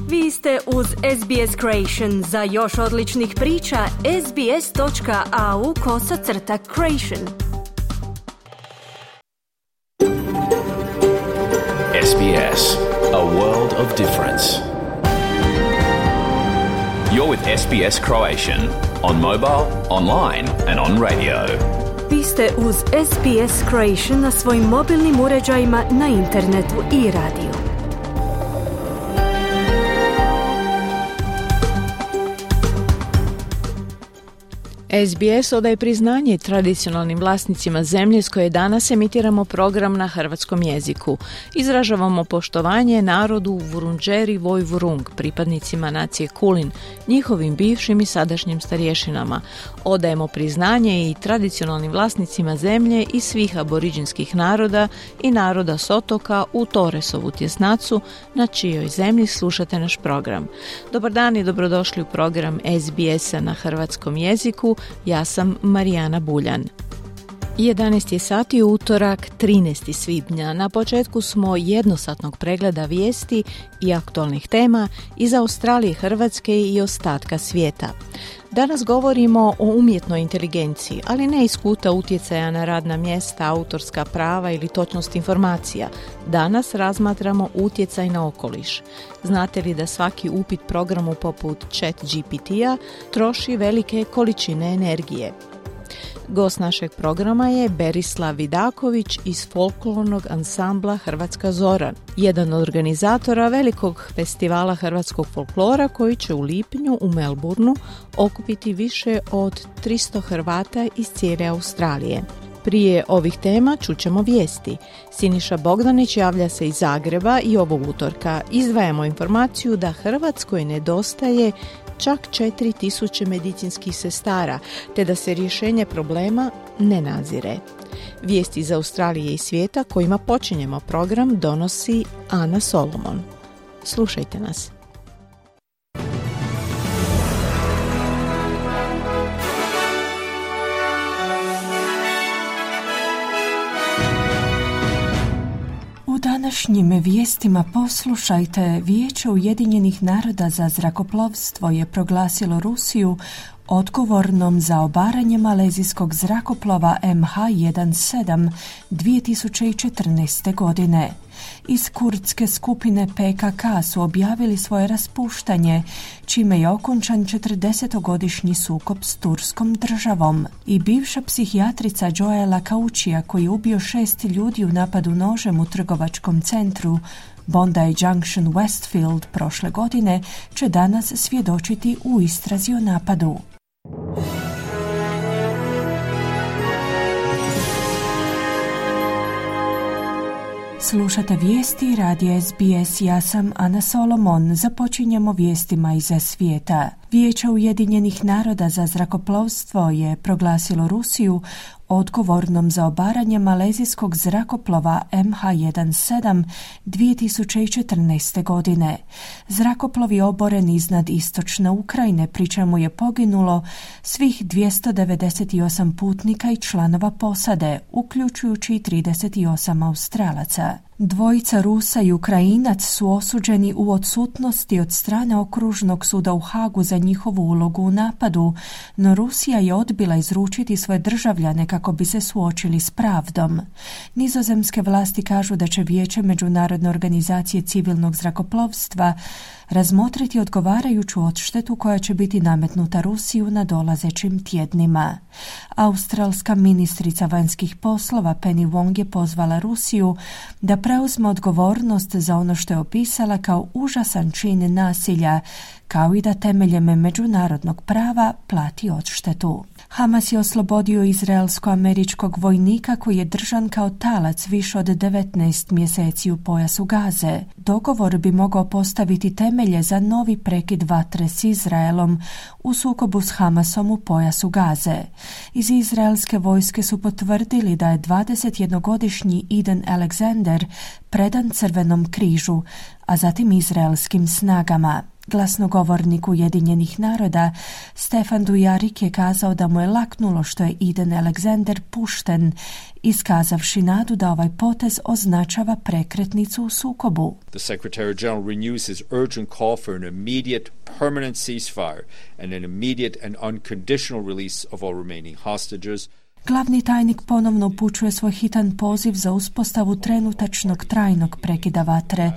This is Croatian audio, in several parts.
Vi ste uz SBS Creation. Za još odličnih priča, sbs.au/creation. SBS, a world of difference. You're with SBS Croatian on mobile, online and on radio. Vi ste uz SBS Creation na svojim mobilnim uređajima, na internetu i radiju. SBS odaje priznanje tradicionalnim vlasnicima zemlje s koje danas emitiramo program na hrvatskom jeziku. Izražavamo poštovanje narodu Vurundjeri Woi-wurrung, pripadnicima nacije Kulin, njihovim bivšim i sadašnjim starješinama. Odajemo priznanje i tradicionalnim vlasnicima zemlje i svih aboriđinskih naroda i naroda s otoka u Torresovu tjesnacu, na čijoj zemlji slušate naš program. Dobar dan i dobrodošli u program SBS-a na hrvatskom jeziku. Ja sam Marijana Buljan. 11 je sati, utorak, 13. svibnja. Na početku smo jednosatnog pregleda vijesti i aktualnih tema iz Australije, Hrvatske i ostatka svijeta. Danas govorimo o umjetnoj inteligenciji, ali ne iz kuta utjecaja na radna mjesta, autorska prava ili točnost informacija. Danas razmatramo utjecaj na okoliš. Znate li da svaki upit programu poput ChatGPT-a troši velike količine energije? Gost našeg programa je Berislav Vidaković iz folklornog ansambla Hrvatska Zora, jedan od organizatora velikog festivala hrvatskog folklora koji će u lipnju u Melbourneu okupiti više od 300 Hrvata iz cijele Australije. Prije ovih tema čućemo vijesti. Siniša Bogdanić javlja se iz Zagreba i ovog utorka izdvajamo informaciju da Hrvatskoj nedostaje čak 4000 medicinskih sestara, te da se rješenje problema ne nazire. Vijesti iz Australije i svijeta kojima počinjemo program donosi Ana Solomon. Slušajte nas. U današnjim vijestima poslušajte, Vijeće Ujedinjenih naroda za zrakoplovstvo je proglasilo Rusiju odgovornom za obaranje malezijskog zrakoplova MH17 2014. godine. Iz kurdske skupine PKK su objavili svoje raspuštanje, čime je okončan 40-godišnji sukob s turskom državom. I bivša psihijatrica Joela Kaučija, koji je ubio 6 ljudi u napadu nožem u trgovačkom centru Bondi Junction Westfield prošle godine, će danas svjedočiti u istrazi o napadu. Slušate vijesti radija SBS, ja sam Ana Solomon. Započinjemo vijestima iz svijeta. Vijeće Ujedinjenih naroda za zrakoplovstvo je proglasilo Rusiju odgovornom za obaranje malezijskog zrakoplova MH17 2014. godine. Zrakoplov je oboren iznad istočne Ukrajine, pri čemu je poginulo svih 298 putnika i članova posade, uključujući 38 Australaca. Dvojica Rusa i Ukrajinac su osuđeni u odsutnosti od strane okružnog suda u Hagu za njihovu ulogu u napadu, no Rusija je odbila izručiti svoje državljane kako bi se suočili s pravdom. Nizozemske vlasti kažu da će Vijeće Međunarodne organizacije civilnog zrakoplovstva razmotriti odgovarajuću odštetu koja će biti nametnuta Rusiji u nadolazećim tjednima. Australska ministrica vanjskih poslova Penny Wong je pozvala Rusiju da preuzme odgovornost za ono što je opisala kao užasan čin nasilja, kao i da temeljem međunarodnog prava plati odštetu. Hamas je oslobodio izraelsko-američkog vojnika koji je držan kao talac više od 19 mjeseci u pojasu Gaze. Dogovor bi mogao postaviti temelje za novi prekid vatre s Izraelom u sukobu s Hamasom u pojasu Gaze. Iz izraelske vojske su potvrdili da je 21-godišnji Eden Alexander predan Crvenom križu, a zatim izraelskim snagama. Glasnogovornik Ujedinjenih naroda Stefan Dujarric je kazao da mu je laknulo što je Eden Alexander pušten, iskazavši nadu da ovaj potez označava prekretnicu u sukobu. The Secretary General renews his urgent call for an immediate, permanent ceasefire and an immediate and unconditional release of all remaining hostages. Glavni tajnik ponovno upućuje svoj hitan poziv za uspostavu trenutačnog trajnog prekida vatre,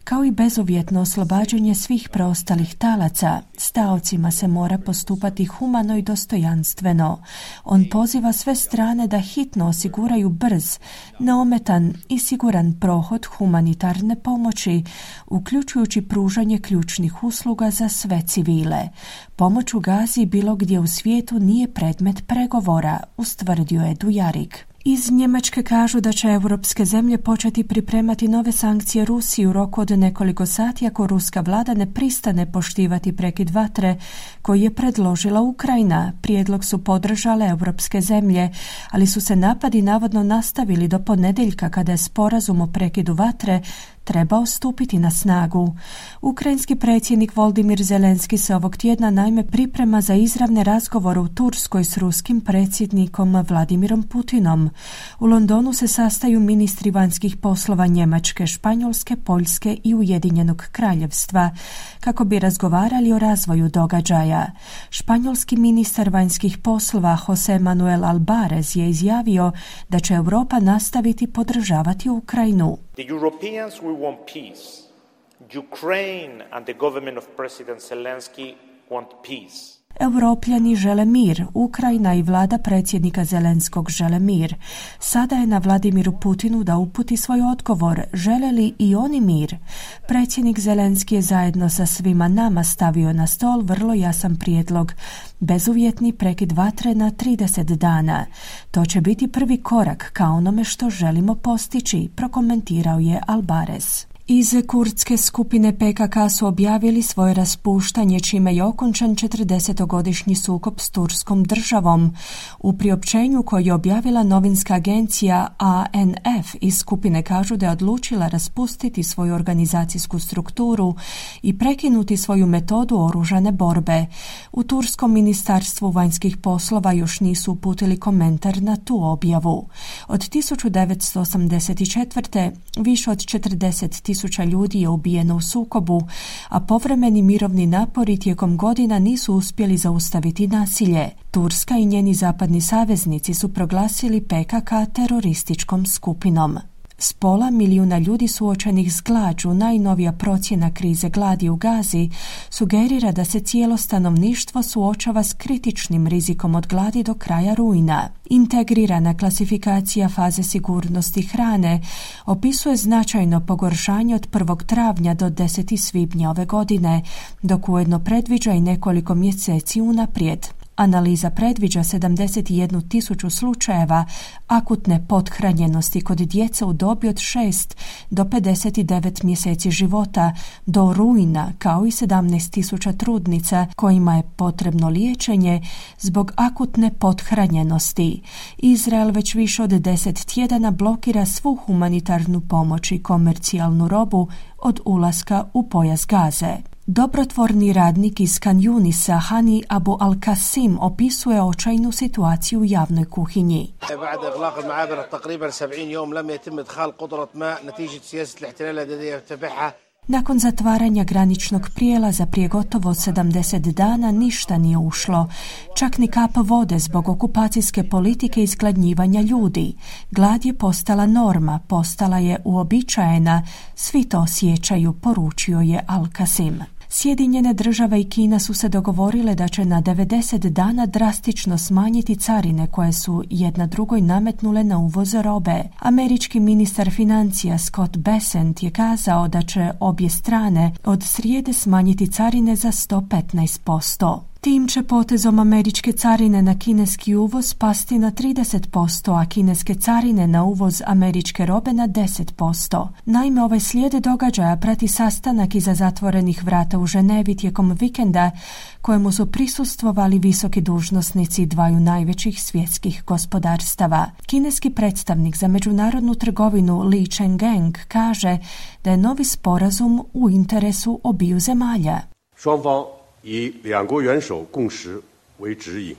kao i bezuvjetno oslobađanje svih preostalih talaca. S taocima se mora postupati humano i dostojanstveno. On poziva sve strane da hitno osiguraju brz, neometan i siguran prohod humanitarne pomoći, uključujući pružanje ključnih usluga za sve civile. Pomoć u Gazi bilo gdje u svijetu nije predmet pregovora, ustvrdio je Dujarric. Iz Njemačke kažu da će europske zemlje početi pripremati nove sankcije Rusiji u roku od nekoliko sati ako ruska vlada ne pristane poštivati prekid vatre koji je predložila Ukrajina. Prijedlog su podržale europske zemlje, ali su se napadi navodno nastavili do ponedjeljka kada je sporazum o prekidu vatre trebao stupiti na snagu. Ukrajinski predsjednik Volodymyr Zelenski se ovog tjedna naime priprema za izravne razgovore u Turskoj s ruskim predsjednikom Vladimirom Putinom. U Londonu se sastaju ministri vanjskih poslova Njemačke, Španjolske, Poljske i Ujedinjenog Kraljevstva kako bi razgovarali o razvoju događaja. Španjolski ministar vanjskih poslova José Manuel Albares je izjavio da će Europa nastaviti podržavati Ukrajinu. The Europeans will want peace. Ukraine and the government of President Zelensky want peace. Europljani žele mir, Ukrajina i vlada predsjednika Zelenskog žele mir. Sada je na Vladimiru Putinu da uputi svoj odgovor, žele li i oni mir. Predsjednik Zelenski je zajedno sa svima nama stavio na stol vrlo jasan prijedlog, bezuvjetni prekid vatre na 30 dana. To će biti prvi korak ka onome što želimo postići, prokomentirao je Albares. Iz kurdske skupine PKK su objavili svoje raspuštanje, čime je okončan 40-godišnji sukob s Turskom državom. U priopćenju koje je objavila novinska agencija ANF iz skupine kažu da je odlučila raspustiti svoju organizacijsku strukturu i prekinuti svoju metodu oružane borbe. U Turskom ministarstvu vanjskih poslova još nisu uputili komentar na tu objavu. Od 1984. više od 40.000 ljudi je ubijeno u sukobu, a povremeni mirovni napori tijekom godina nisu uspjeli zaustaviti nasilje. Turska i njeni zapadni saveznici su proglasili PKK terorističkom skupinom. S 500 milijuna ljudi suočenih s glađu, najnovija procjena krize gladi u Gazi sugerira da se cijelo stanovništvo suočava s kritičnim rizikom od gladi do kraja rujna. Integrirana klasifikacija faze sigurnosti hrane opisuje značajno pogoršanje od 1. travnja do 10. svibnja ove godine, dok ujedno predviđa i nekoliko mjeseci unaprijed. Analiza predviđa 71.000 slučajeva akutne pothranjenosti kod djece u dobi od 6 do 59 mjeseci života do rujna, kao i 17.000 trudnica kojima je potrebno liječenje zbog akutne pothranjenosti. Izrael već više od 10 tjedana blokira svu humanitarnu pomoć i komercijalnu robu od ulaska u pojas Gaze. Dobrotvorni radnik iz Khan Yunisa Hani Abu Al-Qasim opisuje očajnu situaciju u javnoj kuhinji. Nakon zatvaranja graničnog prijelaza prije gotovo 70 dana ništa nije ušlo, čak ni kap vode zbog okupacijske politike izgladnjivanja ljudi. Glad je postala norma, postala je uobičajena, svi to osjećaju, poručio je Al-Qasim. Sjedinjene države i Kina su se dogovorile da će na 90 dana drastično smanjiti carine koje su jedna drugoj nametnule na uvoz robe. Američki ministar financija Scott Bessent je kazao da će obje strane od srijede smanjiti carine za 115%. Tim će potezom američke carine na kineski uvoz pasti na 30%, a kineske carine na uvoz američke robe na 10%. Naime, ovaj slijed događaja prati sastanak iza zatvorenih vrata u Ženevi tijekom vikenda, kojemu su prisustvovali visoki dužnosnici dvaju najvećih svjetskih gospodarstava. Kineski predstavnik za međunarodnu trgovinu Li Chengeng kaže da je novi sporazum u interesu obiju zemalja. 双方以两国元首共识为指引。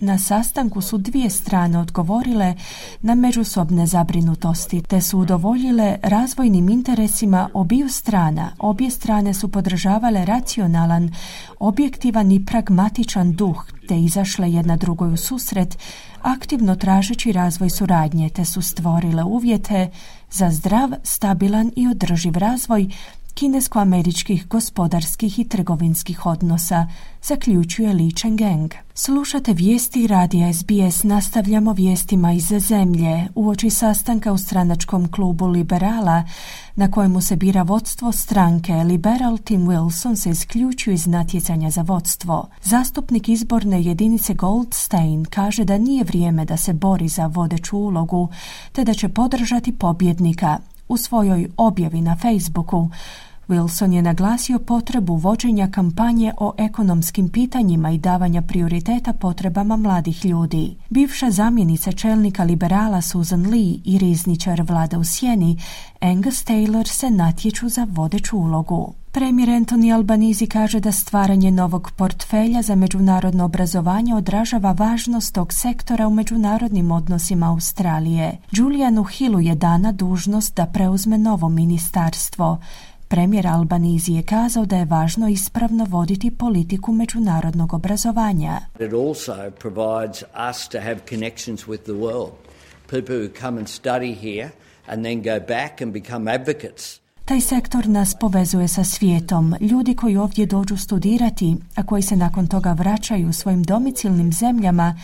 Na sastanku su dvije strane odgovorile na međusobne zabrinutosti te su udovoljile razvojnim interesima obiju strana. Obje strane su podržavale racionalan, objektivan i pragmatičan duh te izašle jedna drugoj u susret, aktivno tražeći razvoj suradnje te su stvorile uvjete za zdrav, stabilan i održiv razvoj kinesko-američkih gospodarskih i trgovinskih odnosa, zaključuje Li Chengeng. Slušate vijesti radija SBS, nastavljamo vijestima iz zemlje. Uoči sastanka u stranačkom klubu Liberala, na kojemu se bira vodstvo stranke, Liberal Tim Wilson se isključio iz natjecanja za vodstvo. Zastupnik izborne jedinice Goldstein kaže da nije vrijeme da se bori za vodeću ulogu, te da će podržati pobjednika. U svojoj objavi na Facebooku Wilson je naglasio potrebu vođenja kampanje o ekonomskim pitanjima i davanja prioriteta potrebama mladih ljudi. Bivša zamjenica čelnika liberala Susan Lee i rizničar vlada u sjeni Angus Taylor se natječu za vodeću ulogu. Premijer Anthony Albanese kaže da stvaranje novog portfelja za međunarodno obrazovanje odražava važnost tog sektora u međunarodnim odnosima Australije. Julianu Hillu je dana dužnost da preuzme novo ministarstvo. Premijer Albanese je kazao da je važno ispravno voditi politiku međunarodnog obrazovanja. It also provides us to have connections with the world. People who come and study here and then go back and become advocates. Taj sektor nas povezuje sa svijetom. Ljudi koji ovdje dođu studirati, a koji se nakon toga vraćaju svojim domicilnim zemljama,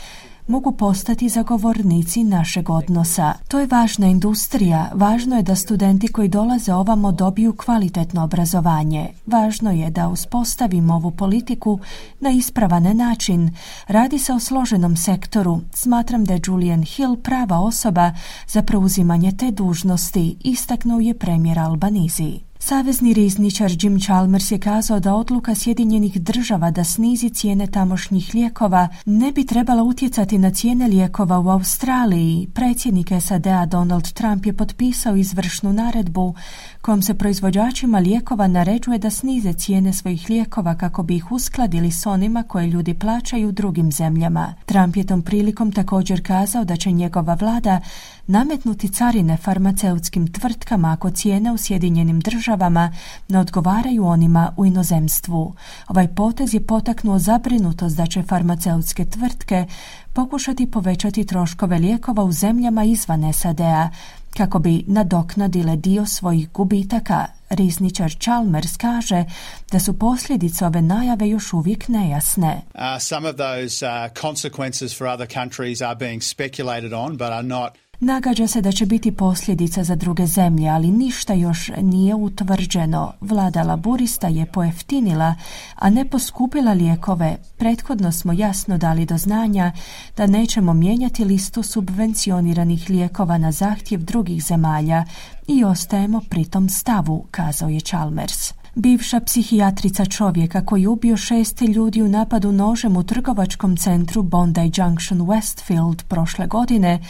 mogu postati zagovornici našeg odnosa. To je važna industrija. Važno je da studenti koji dolaze ovamo dobiju kvalitetno obrazovanje. Važno je da uspostavimo ovu politiku na ispravan način. Radi se o složenom sektoru. Smatram da je Julian Hill prava osoba za preuzimanje te dužnosti, istaknuo je premijer Albanese. Savezni rizničar Jim Chalmers je kazao da odluka Sjedinjenih Država da snizi cijene tamošnjih lijekova ne bi trebala utjecati na cijene lijekova u Australiji. Predsjednik SAD-a Donald Trump je potpisao izvršnu naredbu kojom se proizvođačima lijekova naređuje da snize cijene svojih lijekova kako bi ih uskladili s onima koje ljudi plaćaju u drugim zemljama. Trump je tom prilikom također kazao da će njegova vlada nametnuti carine farmaceutskim tvrtkama ako cijene u Sjedinjenim Državama ne odgovaraju onima u inozemstvu. Ovaj potez je potaknuo zabrinutost da će farmaceutske tvrtke pokušati povećati troškove lijekova u zemljama izvan SAD-a kako bi nadoknadile dio svojih gubitaka. Rizničar Chalmers kaže da su posljedice ove najave još uvijek nejasne. Some of those consequences for other countries are being speculated on, but are not. Nagađa se da će biti posljedica za druge zemlje, ali ništa još nije utvrđeno. Vlada laburista je pojeftinila, a ne poskupila lijekove. Prethodno smo jasno dali do znanja da nećemo mijenjati listu subvencioniranih lijekova na zahtjev drugih zemalja i ostajemo pri tom stavu, kazao je Chalmers. Bivša psihijatrica čovjeka koji je ubio 6 ljudi u napadu nožem u trgovačkom centru Bondi Junction Westfield prošle godine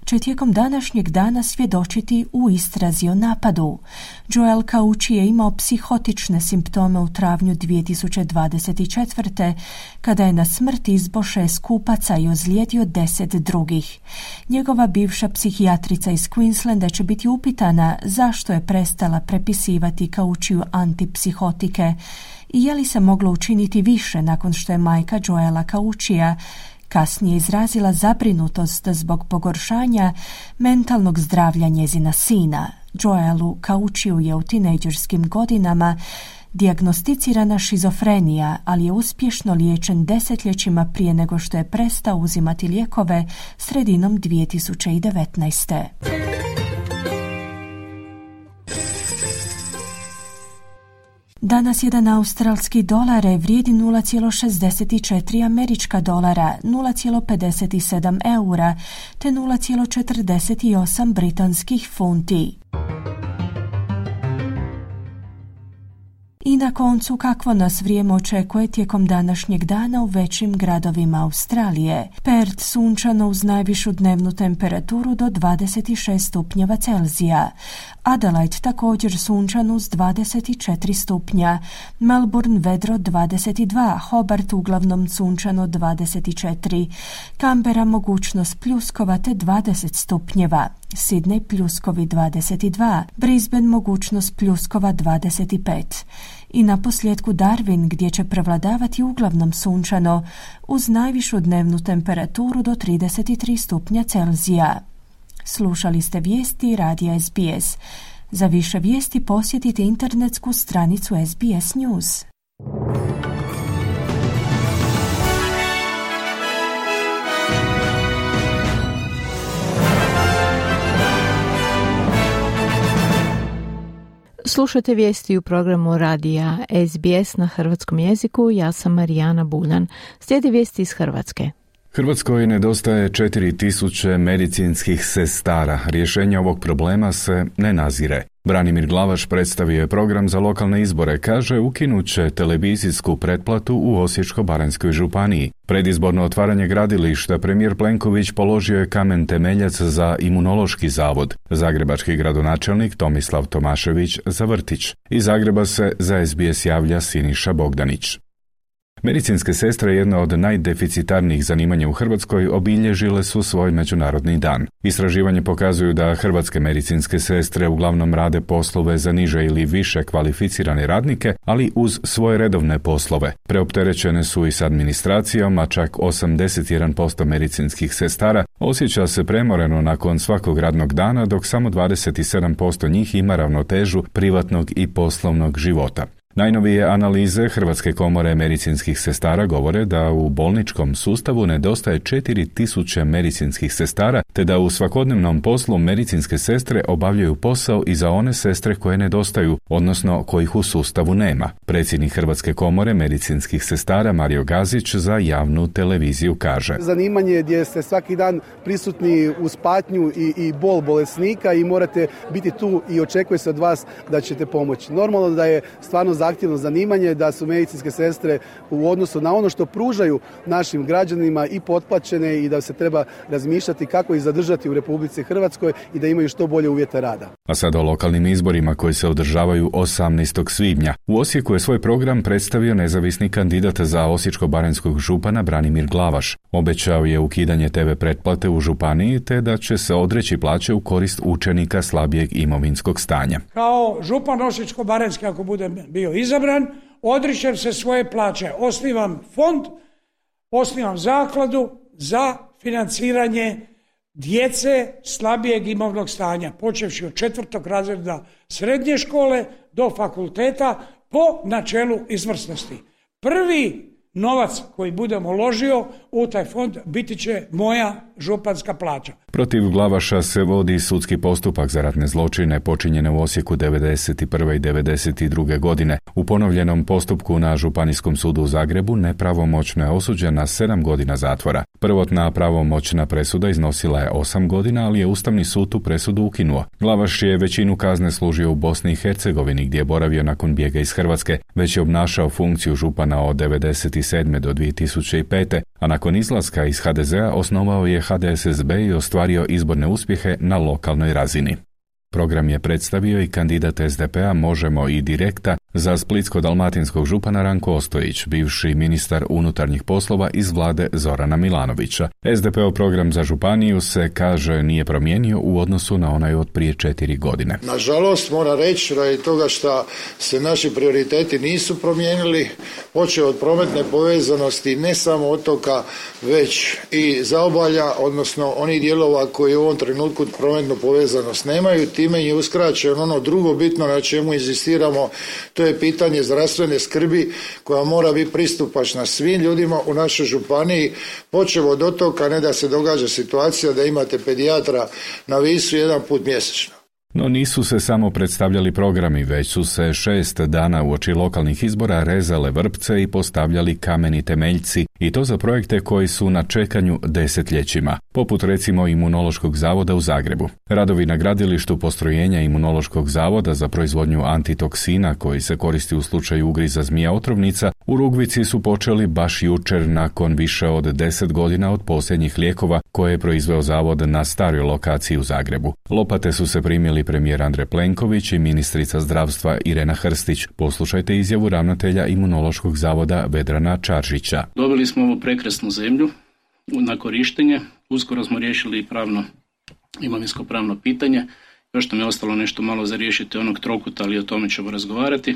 će tijekom današnjeg dana svjedočiti u istrazi o napadu. Joel Kauchi je imao psihotične simptome u travnju 2024. kada je na smrt izbo 6 kupaca i ozlijedio 10 drugih. Njegova bivša psihijatrica iz Queenslanda će biti upitana zašto je prestala prepisivati Kauchiju antipsihotike i je li se moglo učiniti više nakon što je majka Joela Kauchija kasnije izrazila zabrinutost zbog pogoršanja mentalnog zdravlja njezina sina. Joelu Kauchiju je u tinejdžerskim godinama dijagnosticirana šizofrenija, ali je uspješno liječen desetljećima prije nego što je prestao uzimati lijekove sredinom 2019. Danas jedan australski dolar vrijedi 0,64 američka dolara, 0,57 eura te 0,48 britanskih funti. I na koncu, kakvo nas vrijeme očekuje tijekom današnjeg dana u većim gradovima Australije. Perth sunčano uz najvišu dnevnu temperaturu do 26 stupnjeva Celzija. Adelaide također sunčan uz 24 stupnja. Melbourne vedro 22, Hobart uglavnom sunčano 24. Canberra mogućnost pljuskova te 20 stupnjeva. Sydney pljuskovi 22, Brisbane mogućnost pljuskova 25. I na posljedku Darwin gdje će prevladavati uglavnom sunčano uz najvišu dnevnu temperaturu do 33 stupnja Celzija. Slušali ste vijesti radija SBS. Za više vijesti posjetite internetsku stranicu SBS News. Slušajte vijesti u programu radija SBS na hrvatskom jeziku. Ja sam Marijana Buljan. Slijedi vijesti iz Hrvatske. Hrvatskoj nedostaje 4000 medicinskih sestara. Rješenje ovog problema se ne nazire. Branimir Glavaš predstavio je program za lokalne izbore. Kaže, ukinut će televizijsku pretplatu u Osječko-baranjskoj županiji. Predizborno otvaranje gradilišta premijer Plenković položio je kamen temeljac za imunološki zavod. Zagrebački gradonačelnik Tomislav Tomašević za vrtić. Iz Zagreba se za SBS javlja Siniša Bogdanić. Medicinske sestre, jedna od najdeficitarnijih zanimanja u Hrvatskoj, obilježile su svoj međunarodni dan. Istraživanje pokazuju da hrvatske medicinske sestre uglavnom rade poslove za niže ili više kvalificirane radnike, ali uz svoje redovne poslove. Preopterećene su i s administracijom, a čak 81% medicinskih sestara osjeća se premoreno nakon svakog radnog dana, dok samo 27% njih ima ravnotežu privatnog i poslovnog života. Najnovije analize Hrvatske komore medicinskih sestara govore da u bolničkom sustavu nedostaje 4000 medicinskih sestara, te da u svakodnevnom poslu medicinske sestre obavljaju posao i za one sestre koje nedostaju, odnosno kojih u sustavu nema. Predsjednik Hrvatske komore medicinskih sestara Mario Gazić za javnu televiziju kaže: Zanimanje gdje ste svaki dan prisutni uz patnju i bol bolesnika i morate biti tu i očekuje se od vas da ćete pomoći. Normalno da je stvarno zahtjevno zanimanje, da su medicinske sestre u odnosu na ono što pružaju našim građanima i potplaćene i da se treba razmišljati kako ih zadržati u Republici Hrvatskoj i da imaju što bolje uvjete rada. A sada o lokalnim izborima koji se održavaju 18. svibnja. U Osijeku je svoj program predstavio nezavisni kandidat za Osječko-baranjskog župana Branimir Glavaš. Obećao je ukidanje TV pretplate u županiji te da će se odreći plaće u korist učenika slabijeg imovinskog stanja. Kao župan Osječko-baranjski, ako budem bio izabran, odričem se svoje plaće, osnivam fond, osnivam zakladu za financiranje djece slabijeg imovnog stanja, počevši od 4. razreda srednje škole do fakulteta po načelu izvrsnosti. Prvi novac koji budem uložio u taj fond biti će moja županska plaća. Protiv Glavaša se vodi sudski postupak za ratne zločine počinjene u Osijeku 1991. i 1992. godine. U ponovljenom postupku na Županijskom sudu u Zagrebu nepravomoćno je osuđen na 7 godina zatvora. Prvotna pravomoćna presuda iznosila je 8 godina, ali je Ustavni sud tu presudu ukinuo. Glavaš je većinu kazne služio u Bosni i Hercegovini, gdje je boravio nakon bijega iz Hrvatske. Već je obnašao funkciju župana od 1997. do 2005. a nakon izlaska iz HDZ-a osnovao je HDSSB i ostvario izborne uspjehe na lokalnoj razini. Program je predstavio i kandidat SDP-a Možemo i Direkta za splitsko-dalmatinskog župana Ranko Ostojić, bivši ministar unutarnjih poslova iz vlade Zorana Milanovića. SDP-ov program za županiju se, kaže, nije promijenio u odnosu na onaj od prije 4 godine. Nažalost, moram reći radi toga što se naši prioriteti nisu promijenili, počeo od prometne povezanosti ne samo otoka, već i zaobalja, odnosno onih dijelova koji u ovom trenutku prometnu povezanost nemaju. Time je uskraćeno ono drugo bitno na čemu inzistiramo, to je pitanje zdravstvene skrbi koja mora biti pristupačna svim ljudima u našoj županiji, počev od otoka, ne da se događa situacija da imate pedijatra na Visu jedan put mjesečno. No nisu se samo predstavljali programi, već su se 6 dana uoči lokalnih izbora rezale vrpce i postavljali kameni temeljci I to za projekte koji su na čekanju desetljećima, poput recimo Imunološkog zavoda u Zagrebu. Radovi na gradilištu postrojenja Imunološkog zavoda za proizvodnju antitoksina koji se koristi u slučaju ugriza zmija otrovnica u Rugvici su počeli baš jučer nakon više od 10 godina od posljednjih lijekova koje je proizveo zavod na staroj lokaciji u Zagrebu. Lopate su se primili premijer Andrej Plenković i ministrica zdravstva Irena Hrstić. Poslušajte izjavu ravnatelja Imunološkog zavoda Vedrana Čaržića. Dobili smo ovu prekrasnu zemlju na korištenje. Uskoro smo riješili imovinsko-pravno pitanje. Još nam je ostalo nešto malo za riješiti onog trokuta, ali o tome ćemo razgovarati.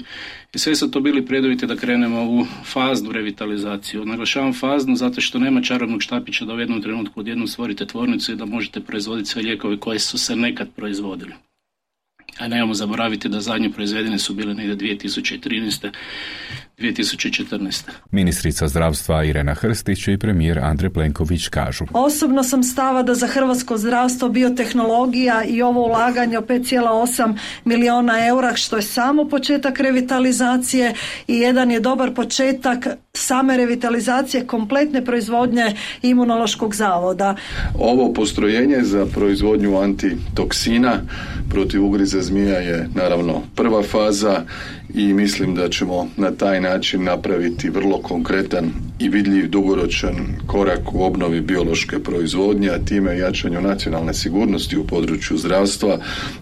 I sve su to bili preduvjeti da krenemo u faznu revitalizaciju. Naglašavam faznu zato što nema čarobnog štapića da u jednom trenutku odjednom stvorite tvornicu i da možete proizvoditi sve lijekove koje su se nekad proizvodili. A nemojmo zaboraviti da zadnje proizvedene su bile negdje 2013. 2014. Ministrica zdravstva Irena Hrstić i premijer Andrej Plenković kažu: Osobno sam stava da za hrvatsko zdravstvo biotehnologija i ovo ulaganje od 5,8 milijuna eura, što je samo početak revitalizacije i jedan je dobar početak same revitalizacije kompletne proizvodnje Imunološkog zavoda. Ovo postrojenje za proizvodnju antitoksina protiv ugriza zmija je naravno prva faza i mislim da ćemo na taj način napraviti vrlo konkretan i vidljiv dugoročan korak u obnovi biološke proizvodnje, a time jačanju nacionalne sigurnosti u području zdravstva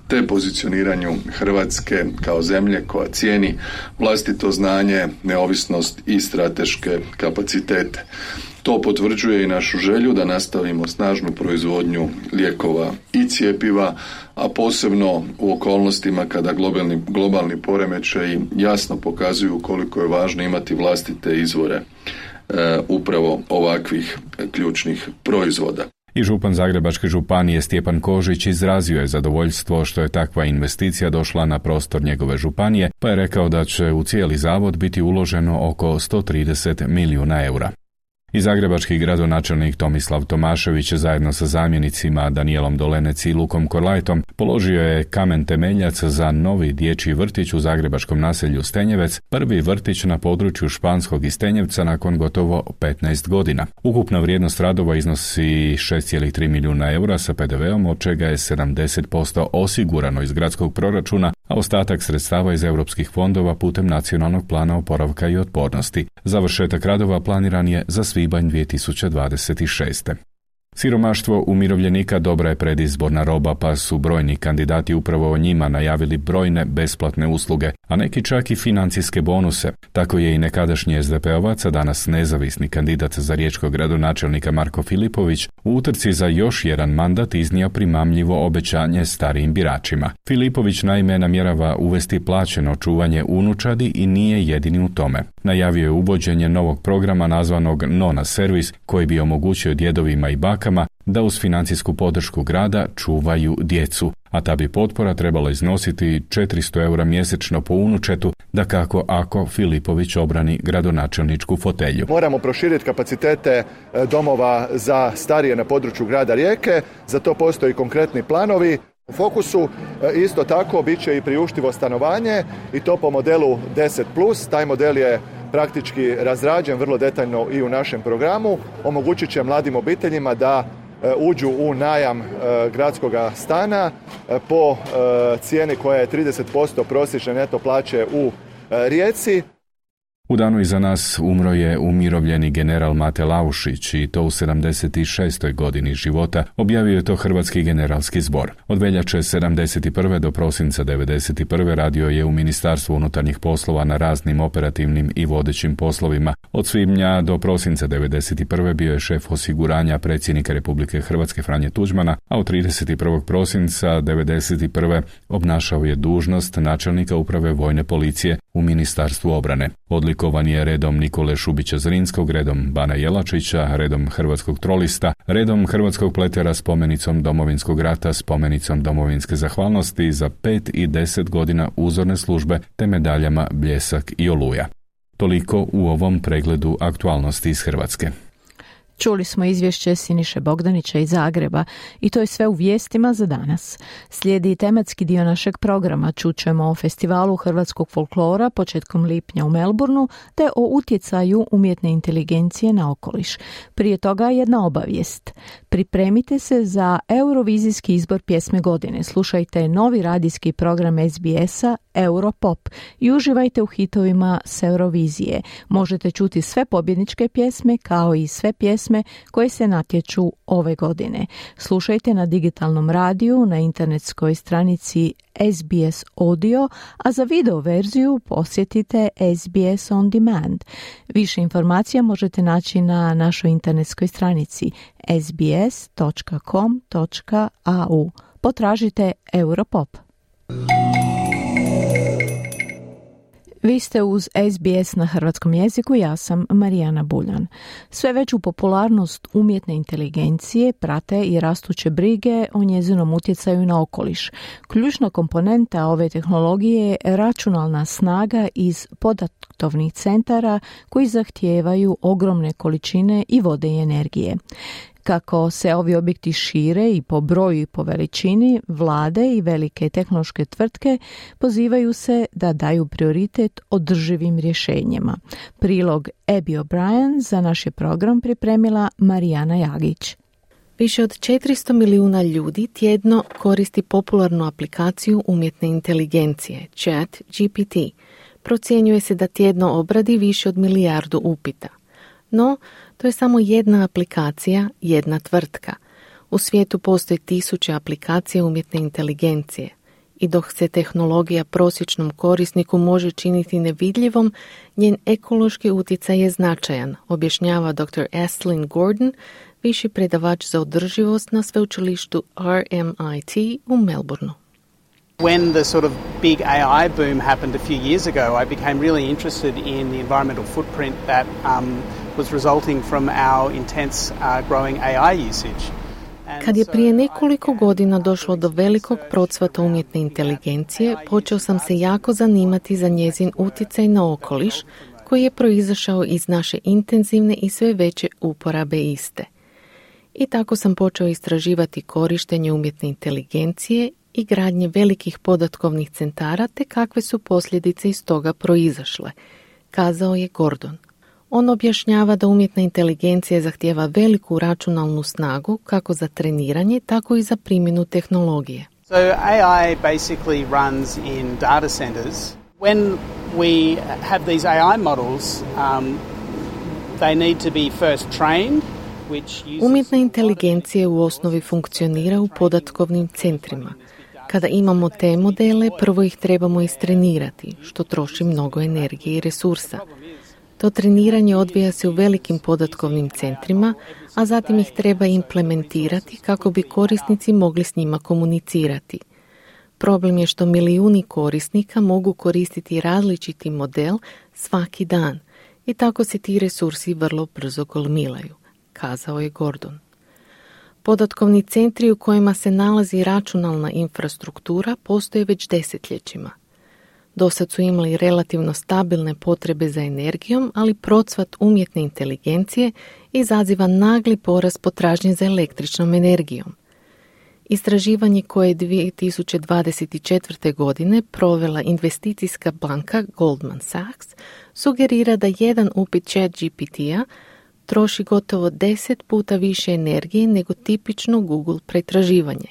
te pozicioniranju Hrvatske kao zemlje koja cijeni vlastito znanje, neovisnost i strateške kapacitete. To potvrđuje i našu želju da nastavimo snažnu proizvodnju lijekova i cjepiva, a posebno u okolnostima kada globalni poremećaji jasno pokazuju koliko je važno imati vlastite izvore upravo ovakvih ključnih proizvoda. I župan Zagrebačke županije Stjepan Kožić izrazio je zadovoljstvo što je takva investicija došla na prostor njegove županije, pa je rekao da će u cijeli zavod biti uloženo oko 130 milijuna eura. I zagrebački gradonačelnik Tomislav Tomašević zajedno sa zamjenicima Danijelom Dolenec i Lukom Korlajtom položio je kamen temeljac za novi dječji vrtić u zagrebačkom naselju Stenjevec, prvi vrtić na području Španskog i Stenjevca nakon gotovo 15 godina. Ukupna vrijednost radova iznosi 6,3 milijuna eura sa PDV-om, od čega je 70% osigurano iz gradskog proračuna, a ostatak sredstava iz europskih fondova putem Nacionalnog plana oporavka i otpornosti. Završetak radova planiran je za svibanj 2026. Siromaštvo umirovljenika dobra je predizborna roba, pa su brojni kandidati upravo o njima najavili brojne besplatne usluge, a neki čak i financijske bonuse. Tako je i nekadašnji SDP-ovac, a danas nezavisni kandidat za riječkog gradonačelnika Marko Filipović u utrci za još jedan mandat iznio primamljivo obećanje starijim biračima. Filipović naime namjerava uvesti plaćeno čuvanje unučadi i nije jedini u tome. Najavio je uvođenje novog programa nazvanog Nona Servis, koji bi omogućio djedovima i bakama da uz financijsku podršku grada čuvaju djecu, a ta bi potpora trebala iznositi 400 eura mjesečno po unučetu, dakako ako Filipović obrani gradonačelničku fotelju. Moramo proširiti kapacitete domova za starije na području grada Rijeke, za to postoji konkretni planovi. U fokusu isto tako bit će i priuštivo stanovanje i to po modelu 10+. Taj model je praktički razrađen vrlo detaljno i u našem programu. Omogućit će mladim obiteljima da uđu u najam gradskog stana po cijeni koja je 30% prosječne neto plaće u Rijeci. U danu iza nas umro je umirovljeni general Mate Laušić i to u 76. godini života, objavio je to Hrvatski generalski zbor. Od veljače 71. do prosinca 91. radio je u Ministarstvu unutarnjih poslova na raznim operativnim i vodećim poslovima. Od svibnja do prosinca 91. bio je šef osiguranja predsjednika Republike Hrvatske Franje Tuđmana, a od 31. prosinca 91. obnašao je dužnost načelnika uprave vojne policije u Ministarstvu obrane. Odlikovan je redom Nikole Šubića Zrinskog, redom Bana Jelačića, redom Hrvatskog trolista, redom Hrvatskog pletera, spomenicom Domovinskog rata, spomenicom Domovinske zahvalnosti za 5 i 10 godina uzorne službe te medaljama Bljesak i Oluja. Toliko u ovom pregledu aktualnosti iz Hrvatske. Čuli smo izvješće Siniše Bogdanića iz Zagreba i to je sve u vijestima za danas. Slijedi tematski dio našeg programa. Čućemo o festivalu hrvatskog folklora početkom lipnja u Melbourneu te o utjecaju umjetne inteligencije na okoliš. Prije toga jedna obavijest. Pripremite se za Eurovizijski izbor pjesme godine. Slušajte novi radijski program SBS-a Europop i uživajte u hitovima s Eurovizije. Možete čuti sve pobjedničke pjesme kao i sve pjesme koje se natječu ove godine. Slušajte na digitalnom radiju, na internetskoj stranici SBS Audio, a za video verziju posjetite SBS On Demand. Više informacija možete naći na našoj internetskoj stranici sbs.com.au. Potražite Europop. Vi ste uz SBS na hrvatskom jeziku, ja sam Marijana Buljan. Sve veću popularnost umjetne inteligencije prate i rastuće brige o njezinom utjecaju na okoliš. Ključna komponenta ove tehnologije je računalna snaga iz podatkovnih centara koji zahtijevaju ogromne količine i vode i energije. Kako se ovi objekti šire i po broju i po veličini, vlade i velike tehnološke tvrtke pozivaju se da daju prioritet održivim rješenjima. Prilog Abby O'Brien za naš je program pripremila Marijana Jagić. Više od 400 milijuna ljudi tjedno koristi popularnu aplikaciju umjetne inteligencije, ChatGPT. Procjenjuje se da tjedno obradi više od 1 milijardu upita. No, to je samo jedna aplikacija, jedna tvrtka. U svijetu postoji 1000 aplikacija umjetne inteligencije. I dok se tehnologija prosječnom korisniku može činiti nevidljivom, njen ekološki utjecaj je značajan, objašnjava dr. Aislinn Gordon, viši predavač za održivost na sveučilištu RMIT u Melbourneu. When the sort of big AI boom happened a few years ago, I became really interested in the environmental footprint that was resulting from our intense growing AI usage. Kad je prije nekoliko godina došlo do velikog procvata umjetne inteligencije, počeo sam se jako zanimati za njezin utjecaj na okoliš, koji je proizašao iz naše intenzivne i sve veće uporabe iste. I tako sam počeo istraživati korištenje umjetne inteligencije i gradnje velikih podatkovnih centara te kakve su posljedice iz toga proizašle, kazao je Gordon. On objašnjava da umjetna inteligencija zahtijeva veliku računalnu snagu kako za treniranje, tako i za primjenu tehnologije. So AI basically runs in data centers. When we have these AI models, they need to be first trained. Umjetna inteligencija u osnovi funkcionira u podatkovnim centrima. Kada imamo te modele, prvo ih trebamo istrenirati, što troši mnogo energije i resursa. To treniranje odvija se u velikim podatkovnim centrima, a zatim ih treba implementirati kako bi korisnici mogli s njima komunicirati. Problem je što milijuni korisnika mogu koristiti različiti model svaki dan i tako se ti resursi vrlo brzo gomilaju, kazao je Gordon. Podatkovni centri u kojima se nalazi računalna infrastruktura postoje već desetljećima. Dosad su imali relativno stabilne potrebe za energijom, ali procvat umjetne inteligencije izaziva nagli porast potražnje za električnom energijom. Istraživanje koje je 2024. godine provela investicijska banka Goldman Sachs sugerira da jedan upit ChatGPT-a troši gotovo 10 puta više energije nego tipično Google pretraživanje.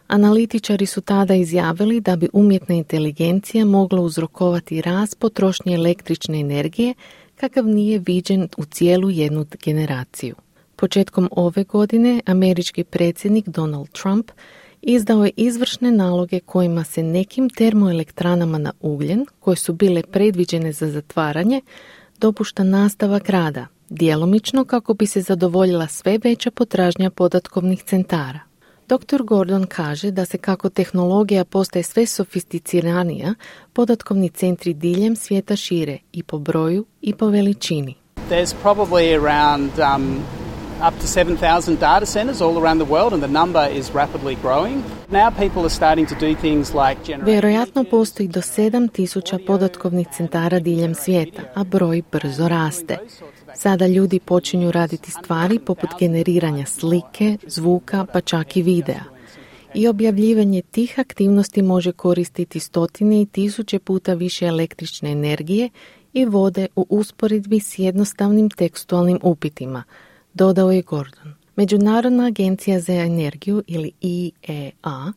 Analitičari su tada izjavili da bi umjetna inteligencija mogla uzrokovati rast potrošnje električne energije kakav nije viđen u cijelu jednu generaciju. Početkom ove godine američki predsjednik Donald Trump izdao je izvršne naloge kojima se nekim termoelektranama na ugljen, koje su bile predviđene za zatvaranje, dopušta nastavak rada, djelomično kako bi se zadovoljila sve veća potražnja podatkovnih centara. Dr. Gordon kaže da se kako tehnologija postaje sve sofisticiranija, podatkovni centri diljem svijeta šire i po broju i po veličini. There's probably around up to 7,000 data centers all around the world, and the number is rapidly growing. Now people are starting to do things like Vjerojatno postoji do 7,000 podatkovnih centara diljem svijeta, a broj brzo raste. Sada ljudi počinju raditi stvari poput generiranja slike, zvuka, pa čak i videa. I objavljivanje tih aktivnosti može koristiti stotine i tisuće puta više električne energije i vode u usporedbi s jednostavnim tekstualnim upitima, dodao je Gordon. Međunarodna agencija za energiju ili IEA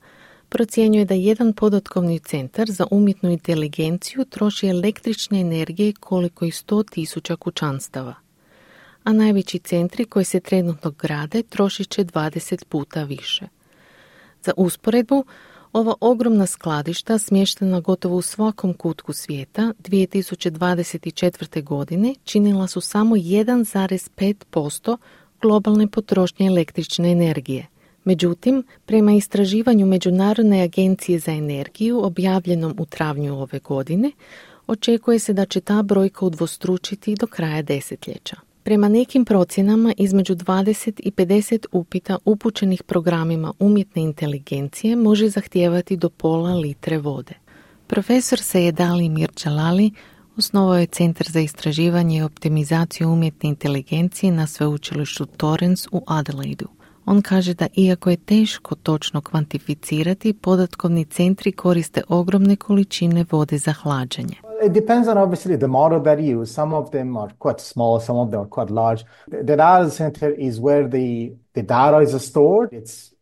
procjenjuje da jedan podatkovni centar za umjetnu inteligenciju troši električne energije koliko i 100,000 kućanstava. A najveći centri koji se trenutno grade trošit će 20 puta više. Za usporedbu, ova ogromna skladišta smještena gotovo u svakom kutku svijeta 2024. godine činila su samo 1,5% globalne potrošnje električne energije. Međutim, prema istraživanju Međunarodne agencije za energiju objavljenom u travnju ove godine, očekuje se da će ta brojka udvostručiti do kraja desetljeća. Prema nekim procjenama, između 20 i 50 upita upućenih programima umjetne inteligencije može zahtijevati do pola litre vode. Profesor Seyed Ali Mirjalali osnovao je Centar za istraživanje i optimizaciju umjetne inteligencije na sveučilištu Torrens u Adelaidu. On kaže da iako je teško točno kvantificirati, podatkovni centri koriste ogromne količine vode za hlađenje. It depends on obviously the model that you use. Some of them are quite small, some of them are quite large. The data center is where the data is stored. It's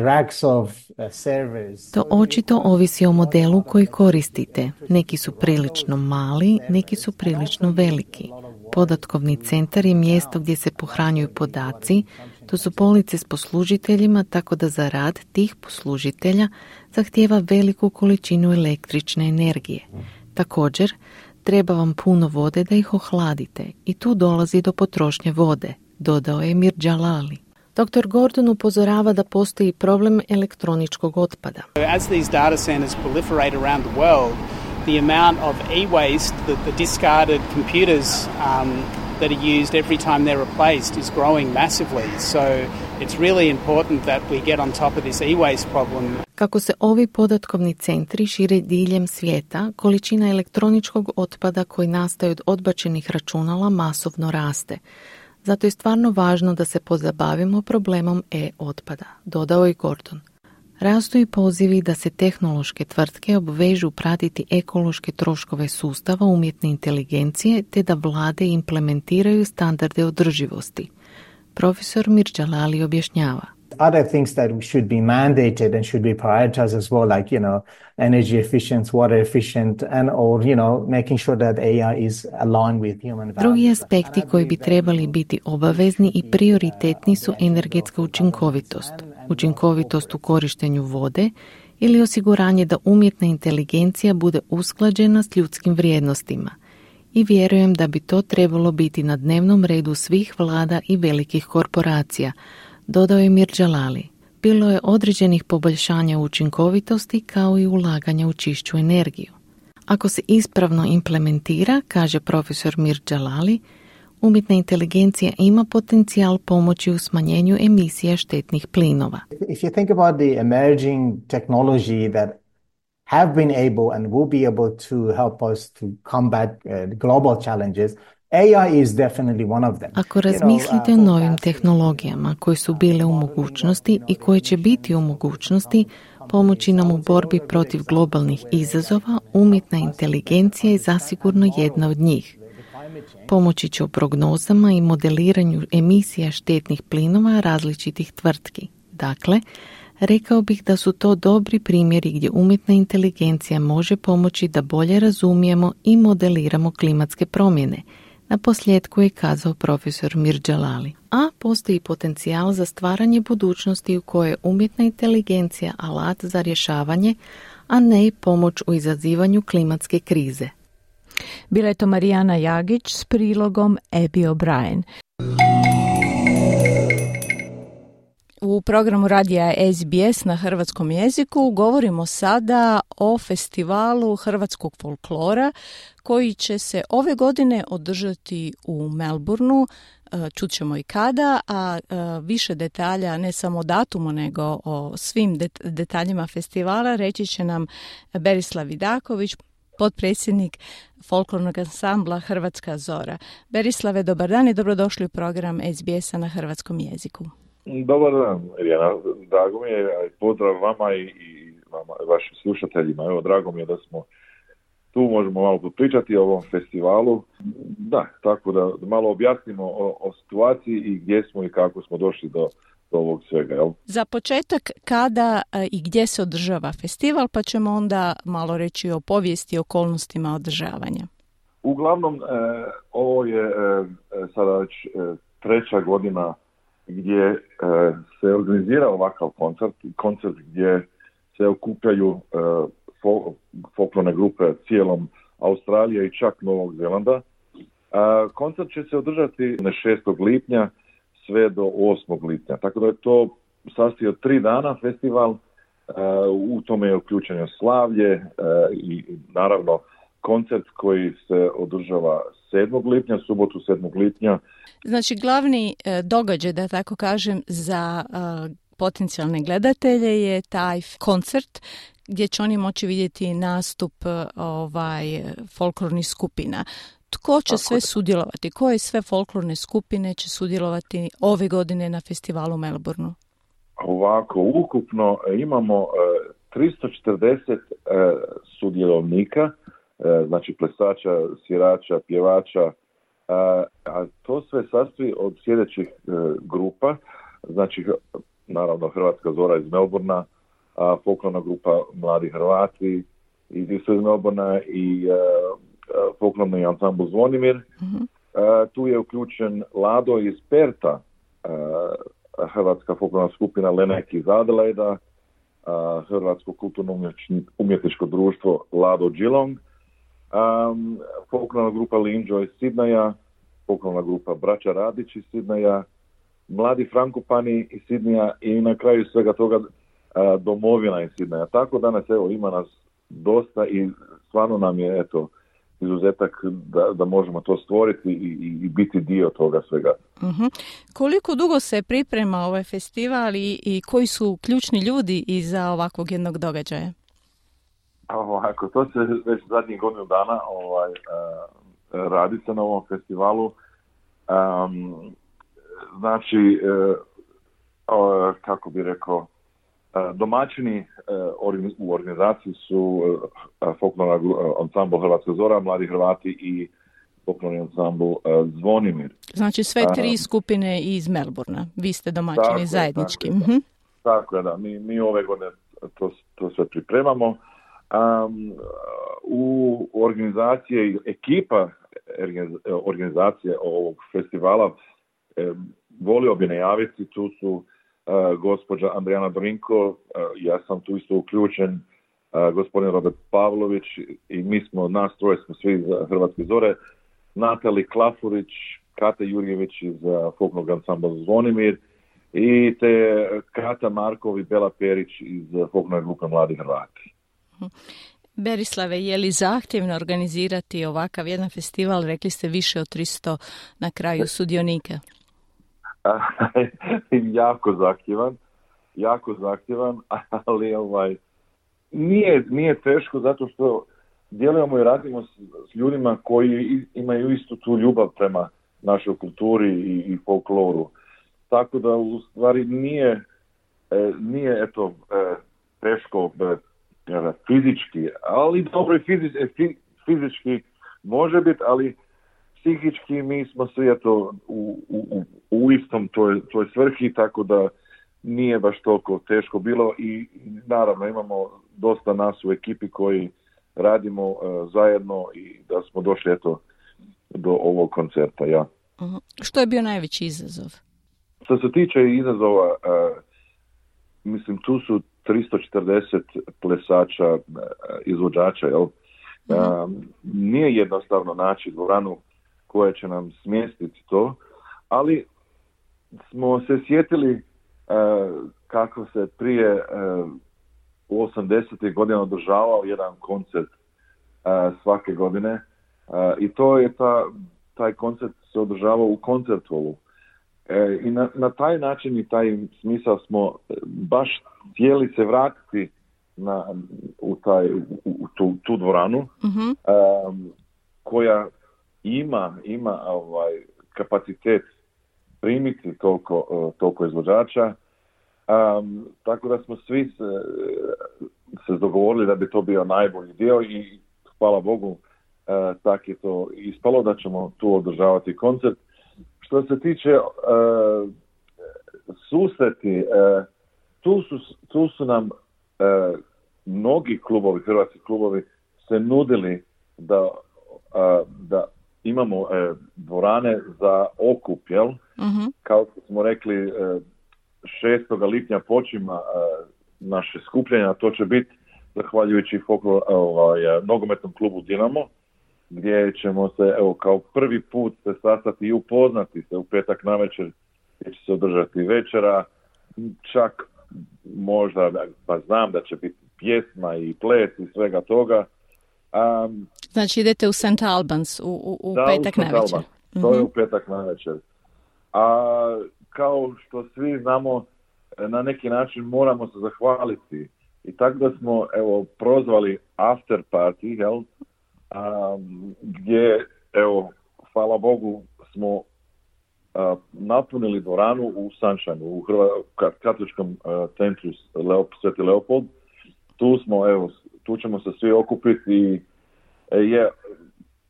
racks of servers. To očito ovisi o modelu koji koristite. Neki su prilično mali, neki su prilično veliki. Podatkovni centar je mjesto gdje se pohranjuju podaci, to su police s poslužiteljima, tako da za rad tih poslužitelja zahtijeva veliku količinu električne energije. Također, treba vam puno vode da ih ohladite i tu dolazi do potrošnje vode, dodao je Mirjalali. Dr. Gordon upozorava da postoji problem elektroničkog otpada. As these data centers proliferate around the world, the amount of e-waste, the discarded computers that are used every time they're replaced is growing massively. So it's really important that we get on top of this e-waste problem. Kako se ovi podatkovni centri šire diljem svijeta, količina elektroničkog otpada koji nastaje od odbačenih računala masovno raste. Zato je stvarno važno da se pozabavimo problemom e-otpada, dodao je Gordon. Rastu i pozivi da se tehnološke tvrtke obvežu pratiti ekološke troškove sustava umjetne inteligencije te da vlade implementiraju standarde održivosti. Profesor Mirjalali objašnjava. Other things that should be mandated and should be prioritized as well, like, energy efficient, water efficient, and or, making sure that AI is aligned with human values. Drugi aspekti koji bi trebali biti obavezni i prioritetni su energetska učinkovitost, učinkovitost u korištenju vode ili osiguranje da umjetna inteligencija bude usklađena s ljudskim vrijednostima. I vjerujem da bi to trebalo biti na dnevnom redu svih vlada i velikih korporacija, dodao je Mirjalali. Bilo je određenih poboljšanja učinkovitosti kao i ulaganja u čišću energiju. Ako se ispravno implementira, kaže profesor Mirjalali, umjetna inteligencija ima potencijal pomoći u smanjenju emisija štetnih plinova. If you think about the emerging technology that have been able and will be able to help us to combat global challenges, AI is definitely one of them. Ako razmislite o novim tehnologijama koje su bile u mogućnosti i koje će biti u mogućnosti pomoći nam u borbi protiv globalnih izazova, umjetna inteligencija je zasigurno jedna od njih. Pomoći će u prognozama i modeliranju emisija štetnih plinova različitih tvrtki. Dakle, rekao bih da su to dobri primjeri gdje umjetna inteligencija može pomoći da bolje razumijemo i modeliramo klimatske promjene. Na posljedku je kazao profesor Mirjalali. A postoji potencijal za stvaranje budućnosti u kojoj je umjetna inteligencija alat za rješavanje, a ne pomoć u izazivanju klimatske krize. Bila je to Marijana Jagić s prilogom Abby O'Brien. U U programu radija SBS na hrvatskom jeziku govorimo sada o festivalu hrvatskog folklora koji će se ove godine održati u Melbourneu. Čućemo i kada, a više detalja, ne samo o datumu, nego o svim detaljima festivala reći će nam Berislav Vidaković, potpredsjednik folklornog ansambla Hrvatska Zora. Berislave, dobar dan i dobrodošli u program SBS-a na hrvatskom jeziku. Dobar dan, Irjana. Drago mi je, pozdrav vama i vama, vašim slušateljima. Evo, drago mi je da smo tu, možemo malo pričati o ovom festivalu. Da, tako da malo objasnimo o situaciji i gdje smo i kako smo došli do ovog svega. Jel? Za početak, kada i gdje se održava festival, pa ćemo onda malo reći o povijesti i okolnostima održavanja. Uglavnom, ovo je sada već treća godina gdje se organizira ovakav koncert gdje se okupljaju folklorne grupe cijelom Australije i čak Novog Zelanda. Koncert će se održati na 6. lipnja sve do 8. lipnja. Tako da je to sastoji od 3 dana festival. U tome je uključeno slavlje i naravno koncert koji se održava 7. lipnja, subotu 7. lipnja. Znači, glavni događaj, da tako kažem, za potencijalne gledatelje je taj koncert gdje će oni moći vidjeti nastup folklornih skupina. Tko će sve sudjelovati? Koje sve folklorne skupine će sudjelovati ove godine na festivalu u Melbourneu? Ovako, ukupno imamo 340 sudjelovnika, znači plesača, svirača, pjevača, a to sve sastoji od sljedećih grupa, znači naravno Hrvatska Zora iz Melbournea, folklorna grupa Mladi Hrvati iz Melbournea i folklorni ansambl Zvonimir. Tu je uključen Lado iz Perta, hrvatska folklorna skupina Lenek iz Adelaida, Hrvatsko kulturno-umjetničko društvo Lado Geelong, folklorna grupa Linđo iz Sidneja, folklorna grupa Braća Radić iz Sidneja, Mladi Frankopani iz Sidneja i na kraju svega toga Domovina iz Sidneja. Tako danas ima nas dosta i stvarno nam je izuzetak da možemo to stvoriti i biti dio toga svega. Koliko dugo se priprema ovaj festival i koji su ključni ljudi iza ovakvog jednog događaja? Ovako, to se već zadnjih godinu dana radi se na ovom festivalu. Znači, kako bi rekao, domaćini u organizaciji su folklorni ansambl Hrvatska Zora, Mladi Hrvati i folklorni ansambl Zvonimir. Znači sve 3 skupine iz Melbournea. Vi ste domaćini zajednički. Tako je, da. Mi ove godine to sve pripremamo. U organizaciji, ekipa organizacije ovog festivala volio bi najaviti, tu su gospođa Andrijana Brinko, ja sam tu isto uključen, gospodin Robert Pavlović i nas troje smo svi za Hrvatske Zore, Natali Klafurić, Kata Jurjević iz folklornog ansambla Zvonimir i te Kata Markov i Bela Perić iz folklorne grupe Mladi Hrvati. Berislave, je li zahtjevno organizirati ovakav jedan festival? Rekli ste više od 300 na kraju sudionika. jako zahtjevan, ali nije teško zato što djelujemo i radimo s ljudima koji imaju istu tu ljubav prema našoj kulturi i folkloru. Tako da u stvari nije teško fizički, ali dobro i fizički može biti, ali psihički mi smo svi u istom toj svrhi, tako da nije baš toliko teško bilo i naravno imamo dosta nas u ekipi koji radimo zajedno i da smo došli do ovog koncerta. Ja. Što je bio najveći izazov? Što se tiče izazova, mislim tu su 340 plesača, izvođača, jel? Nije jednostavno naći dvoranu koja će nam smjestiti to, ali smo se sjetili kako se prije u 80. godina održavao jedan koncert svake godine i to je taj koncert se održavao u koncertholu. I na taj način i taj smisao smo baš htjeli se vratiti u tu dvoranu koja ima kapacitet primiti toliko izvođača, tako da smo svi se dogovorili da bi to bio najbolji dio i hvala Bogu tak je to ispalo da ćemo tu održavati koncert. Što se tiče susreti, tu su nam mnogi klubovi, hrvatski klubovi se nudili da imamo dvorane za okup, jel? Kao što smo rekli, 6. lipnja počima naše skupljanja, to će biti zahvaljujući nogometnom klubu Dinamo, gdje ćemo se kao prvi put se sastati i upoznati se u petak navečer, gdje će se održati večera, čak možda, pa znam da će biti pjesma i ples i svega toga. Znači idete u St. Albans u petak navečer. To je u petak navečer. A kao što svi znamo, na neki način moramo se zahvaliti. I tako da smo prozvali after party, jel? Gdje, hvala Bogu, smo napunili dvoranu u Sunshine, u katoličkom centru Sveti Leopold. Tu ćemo se svi okupiti i je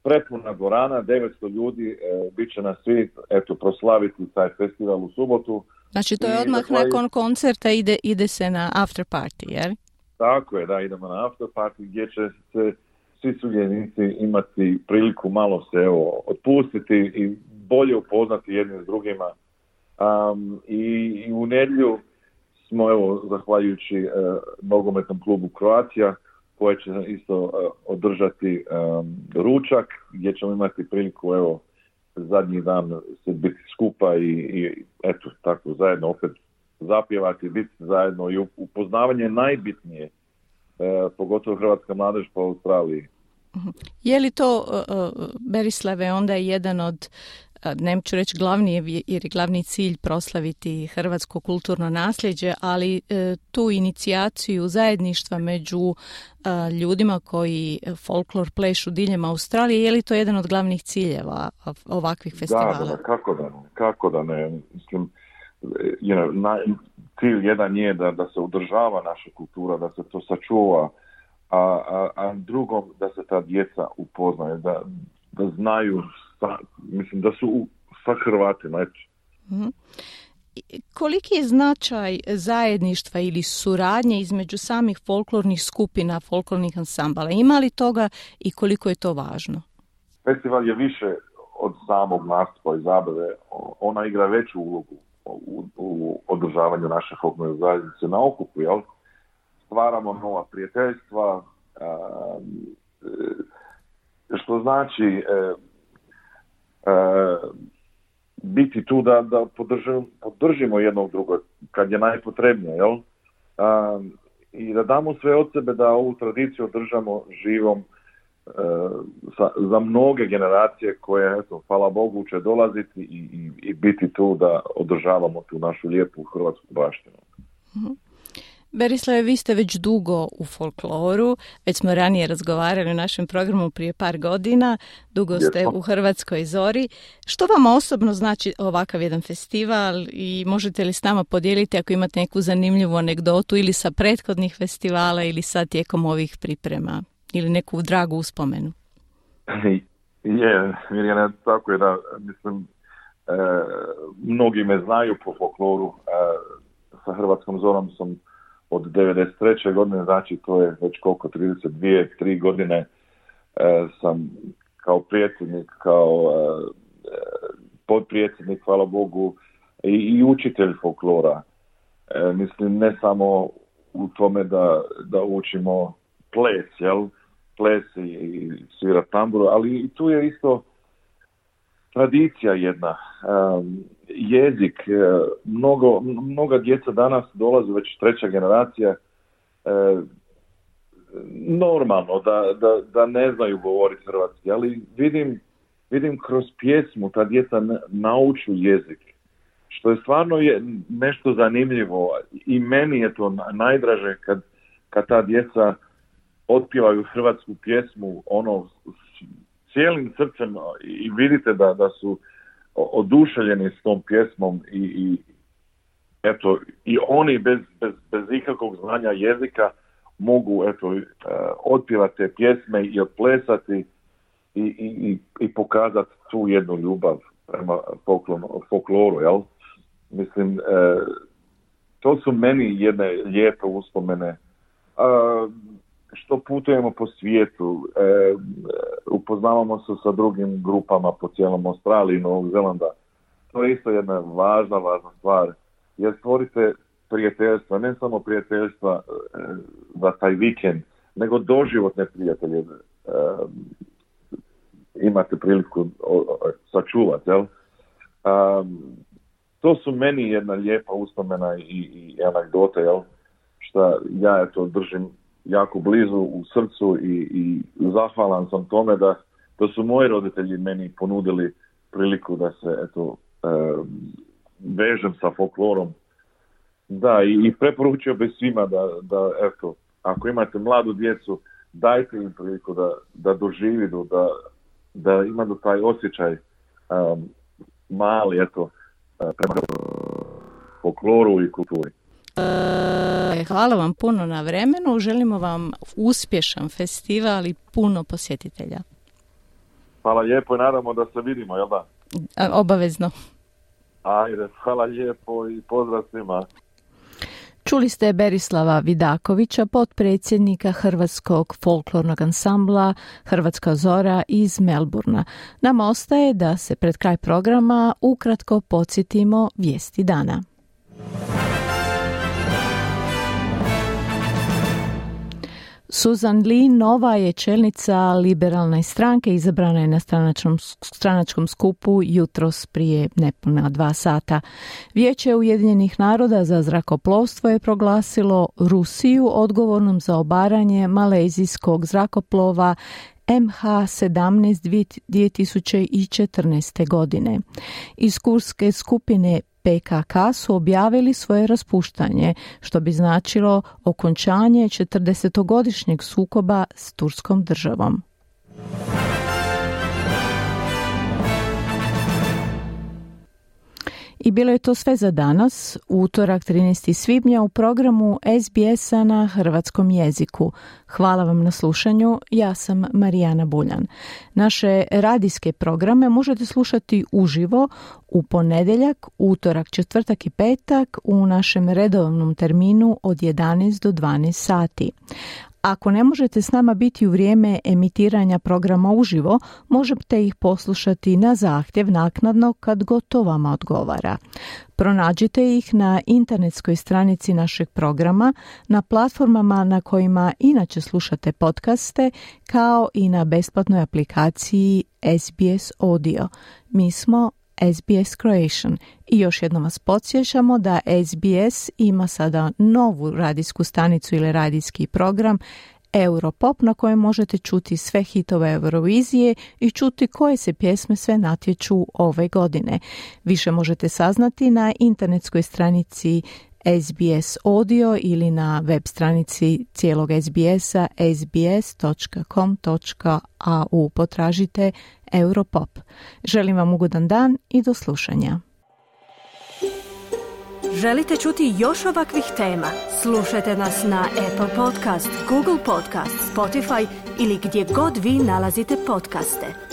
prepuna dvorana, 900 ljudi, bit će nas svi proslaviti taj festival u subotu. Znači to je odmah nakon koncerta ide se na after party, jel? Tako je, da, idemo na after party gdje će se svi sudionici imati priliku malo se otpustiti i bolje upoznati jedni s drugima. I u nedjelju smo zahvaljujući nogometnom klubu Croatia koje će isto održati ručak gdje ćemo imati priliku zadnji dan se biti skupa i tako zajedno opet zapjevati, biti zajedno i upoznavanje najbitnije, pogotovo hrvatska mladež po Australiji. Je li to, Berislave, onda je jedan od, neću reći glavni, jer je glavni cilj proslaviti hrvatsko kulturno nasljeđe, ali tu inicijaciju zajedništva među ljudima koji folklor plešu diljem Australije, je li to jedan od glavnih ciljeva ovakvih festivala? Da, kako da ne. Mislim, cilj jedan je da se održava naša kultura, da se to sačuva, a drugom da se ta djeca upoznaju, da znaju, mislim da su sa Hrvatima. Koliki je značaj zajedništva ili suradnje između samih folklornih skupina, folklornih ansambala? Ima li toga i koliko je to važno? Festival je više od samog nastupa i zabave. Ona igra veću ulogu u održavanju naše folklorne zajednice na okupu, jel? Stvaramo nova prijateljstva, što znači biti tu da podržimo jednog drugog kad je najpotrebnije, jel? I da damo sve od sebe da ovu tradiciju održamo živom za mnoge generacije koje, hvala Bogu, će dolaziti i biti tu da održavamo tu našu lijepu hrvatsku baštinu. Berislave, vi ste već dugo u folkloru, već smo ranije razgovarali u našem programu prije par godina, dugo ste u Hrvatskoj zori. Što vam osobno znači ovakav jedan festival i možete li s nama podijeliti ako imate neku zanimljivu anegdotu ili sa prethodnih festivala ili sad tijekom ovih priprema ili neku dragu uspomenu? Mirjana, tako je da, mislim, mnogi me znaju po folkloru, sa Hrvatskom zorom sam od 93. godine, znači to je već koliko, 32-3 godine sam kao predsjednik, kao potpredsjednik, hvala Bogu, i učitelj folklora. Mislim, ne samo u tome da učimo ples, jel? Ples i svira tamburu, ali i tu je isto tradicija jedna. jezik. Mnoga djeca danas dolaze, već treća generacija, normalno da ne znaju govoriti hrvatski, ali vidim kroz pjesmu ta djeca nauču jezik, što je stvarno nešto zanimljivo i meni je to najdraže kad ta djeca otpjevaju hrvatsku pjesmu cijelim srcem i vidite da su oduševljeni s tom pjesmom i eto, i oni bez ikakvog znanja jezika mogu otpjevati te pjesme i otplesati i pokazati tu jednu ljubav prema folkloru, jel? Mislim, to su meni jedne lijepe uspomene. Što putujemo po svijetu, upoznavamo se sa drugim grupama po cijelom Australiji i Novog Zelanda. To je isto jedna važna stvar, jer stvorite prijateljstva, ne samo prijateljstva za taj vikend, nego doživotne prijatelje imate priliku sačuvati, jel? To su meni jedna lijepa uspomena i anegdota, jel? Što ja držim jako blizu u srcu i zahvalan sam tome da su moji roditelji meni ponudili priliku da se vežem sa folklorom. Da, i preporučio bih svima da ako imate mladu djecu, dajte im priliku da doživi, da imaju taj osjećaj mali prema folkloru i kulturi. Hvala vam puno na vremenu, želimo vam uspješan festival i puno posjetitelja. Hvala lijepo i nadamo da se vidimo, jel da? Obavezno. Ajde, hvala lijepo i pozdrav svima. Čuli ste Berislava Vidakovića, potpredsjednika Hrvatskog folklornog ansambla Hrvatska Zora iz Melburna. Nama ostaje da se pred kraj programa ukratko podsjetimo vijesti dana. Susan Lee nova je čelnica liberalne stranke, izabrana je na stranačkom skupu jutros prije nepuna 2 sata. Vijeće Ujedinjenih naroda za zrakoplovstvo je proglasilo Rusiju odgovornom za obaranje malezijskog zrakoplova MH17 2014. godine. Iz kurske skupine PKK su objavili svoje raspuštanje, što bi značilo okončanje 40-godišnjeg sukoba s Turskom državom. I bilo je to sve za danas, utorak 13. svibnja u programu SBS-a na hrvatskom jeziku. Hvala vam na slušanju, ja sam Marijana Buljan. Naše radijske programe možete slušati uživo u ponedjeljak, utorak, četvrtak i petak u našem redovnom terminu od 11 do 12 sati. Ako ne možete s nama biti u vrijeme emitiranja programa uživo, možete ih poslušati na zahtjev naknadno kad god to vama odgovara. Pronađite ih na internetskoj stranici našeg programa, na platformama na kojima inače slušate podcaste, kao i na besplatnoj aplikaciji SBS Audio. Mi smo SBS Croatian i još jednom vas podsjećamo da SBS ima sada novu radijsku stanicu ili radijski program Europop na kojem možete čuti sve hitove Eurovizije i čuti koje se pjesme sve natječu ove godine. Više možete saznati na internetskoj stranici SBS Audio ili na web stranici cijelog SBS-a sbs.com.au. Potražite Europop. Želim vam ugodan dan i do slušanja. Želite čuti još ovakvih tema? Slušajte nas na Apple Podcast, Google Podcast, Spotify ili gdje god vi nalazite podcaste.